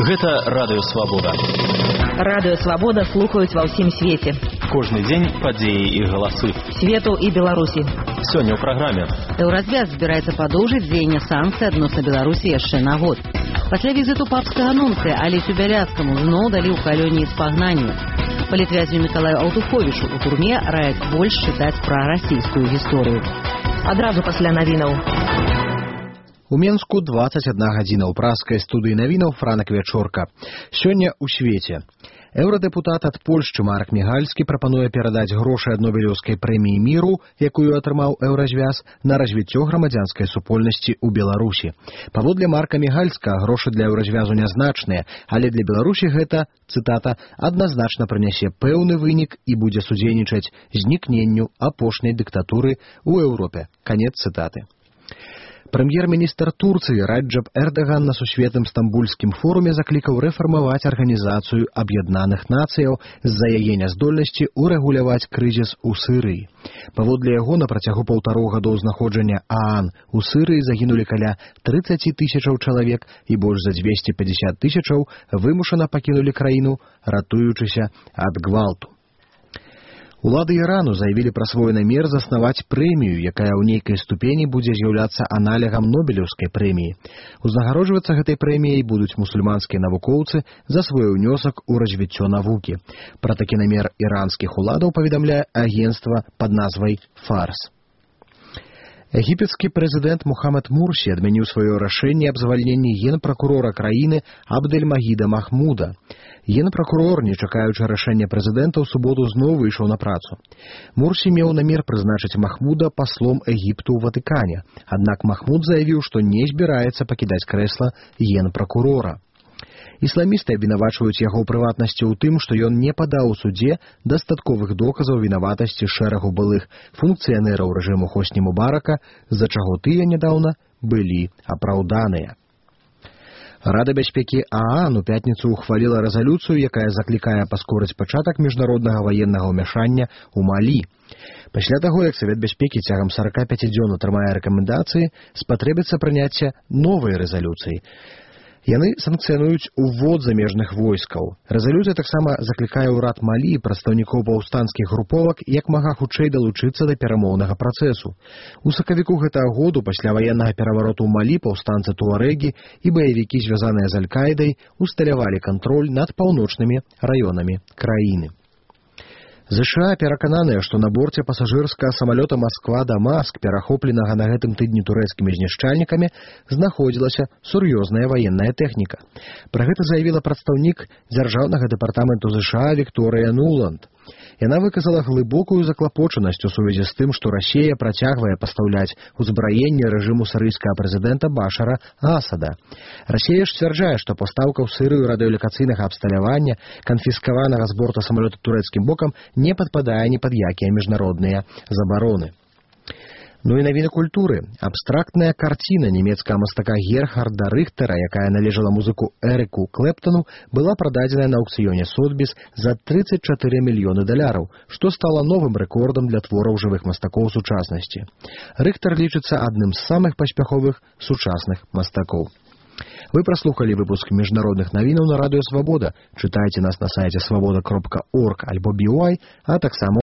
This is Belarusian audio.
Гэта Радыё Свабода. Радыё Свабода слухаюць ва ўсім свеце. Кожны дзень падзеі і галасы. Свету і Беларусі. Сёння ў праграме. Еўразвяз збіраецца падоўжыць дзеянне санкцый адносна Беларусі яшчэ на год. Пасля візіту папскага нунцыя Алесю Бяляцкаму зноў далі ў калоніі спагнанню. Палітвязню Мікалаю Аўтуховічу ў турме раяць больш чытаць пра расійскую гісторыю. Адразу пасля навінаў. У Менску 21 гадзіна ў праскай студыі навінаў Франак Вячорка. Сёння ў свеце. Еўрадэпутат ад Польшчы Марк Мігальскі прапануе перадаць грошы ад Нобелеўскай прэміі міру, якую атрымаў еўразвяз, на развіццё грамадзянскай супольнасці ў Беларусі. Паводле Марка Мігальска, грошы для еўразвязу нязначныя, але для Беларусі гэта, цытата, адназначна прынясе пэўны вынік і будзе судзейнічаць знікненню апошняй дыктатуры ў Еўропе. Канец цытаты. Прэм'ер-міністр Турцыі Раджаб Эрдаган на сусветным стамбульскім форуме заклікаў рэфармаваць Арганізацыю Аб'яднаных Нацыяў з-за яе няздольнасці ўрэгуляваць крызіс у Сырыі. Паводле яго, на працягу 1,5 гадоў знаходжання ААН у Сырыі загінулі каля 30 тысячаў чалавек і больш за 250 тысячаў вымушана пакінулі краіну, ратуючыся ад гвалту. Улады Ірану заявілі пра свой намер заснаваць прэмію, якая ў нейкай ступені будзе з'яўляцца аналегам Нобелеўскай прэміі. Узнагароджвацца гэтай прэміяй будуць мусульманскія навукоўцы за свой унёсак у развіццё навукі. Пра такі намер іранскіх уладаў паведамляе агенцтва пад назвай «Фарс». Егіпецкі прэзідэнт Мухаммад Мурсі адмяніў сваё рашэнне аб звальненні генпракурора краіны Абдэльмагіда Махмуда. Генпракурор, не чакаючы рашэння прэзідэнта, у суботу зноў выйшаў на працу. Мурсі меў намер прызначыць Махмуда паслом Егіпту ў Ватыкане, аднак Махмуд заявіў, што не збіраецца пакідаць крэсла генпракурора. Ісламісты абвінавачваюць яго ў прыватнасці ў тым, што ён не падаў у судзе дастатковых доказаў вінаватасці шэрагу былых функцыянераў рэжыму Хосні Мубарака, з-за чаго тыя нядаўна былі апраўданыя. Рада бяспекі ААН у пятніцу ухваліла рэзалюцыю, якая заклікае паскорыць пачатак міжнароднага ваеннага ўмяшання ў Малі. Пасля таго, як Савет бяспекі цягам 45 дзён атрымае рэкамендацыі, спатрэбіцца прыняцце новай рэзалюцыі. Яны санкцыянуюць увод замежных войскаў. Рэзалюцыя таксама заклікае ўрад Малі і прадстаўнікоў паўстанцкіх груповак як мага хутчэй далучыцца да перамоўнага працэсу. У сакавіку гэтага году пасля ваеннага перавароту ў Малі паўстанцы туарэгі і баевікі, звязаныя з Аль-Каідай, усталявалі кантроль над паўночнымі раёнамі краіны. ЗША перакананыя, што на борце пасажырскага самалёта Масква-Дамаск, перахопленага на гэтым тыдні турэцкімі знішчальнікамі, знаходзілася сур'ёзная ваенная тэхніка. Пра гэта заявіла прадстаўнік дзяржаўнага дэпартаменту ЗША Вікторыя Нуланд. Яна выказала глыбокую заклапочанасць у сувязі з тым, што Расія працягвае пастаўляць узбраенне рэжыму сірыйскага прэзідэнта Башара Асада. Расія ж сцвярджае, што пастаўка ў Сірыю радыёлакацыйнага абсталявання, канфіскаванага з борта самалёта турэцкім бокам, не падпадае ні пад якія міжнародныя забароны. Ну і навіны культуры. Абстрактная карціна нямецкага мастака Герхарда Рыхтера, якая належала музыку Эрыку Клэптану, была прададзеная на аўкцыёне Сотбіс за $34 мільёны, што стала новым рэкордам для твораў жывых мастакоў сучаснасці. Рыхтер лічыцца адным з самых паспяховых сучасных мастакоў. Вы праслухалі выпуск міжнародных навінаў на Радыё Свабода. Чытайце нас на сайце свабода.орг альбо BY, а таксама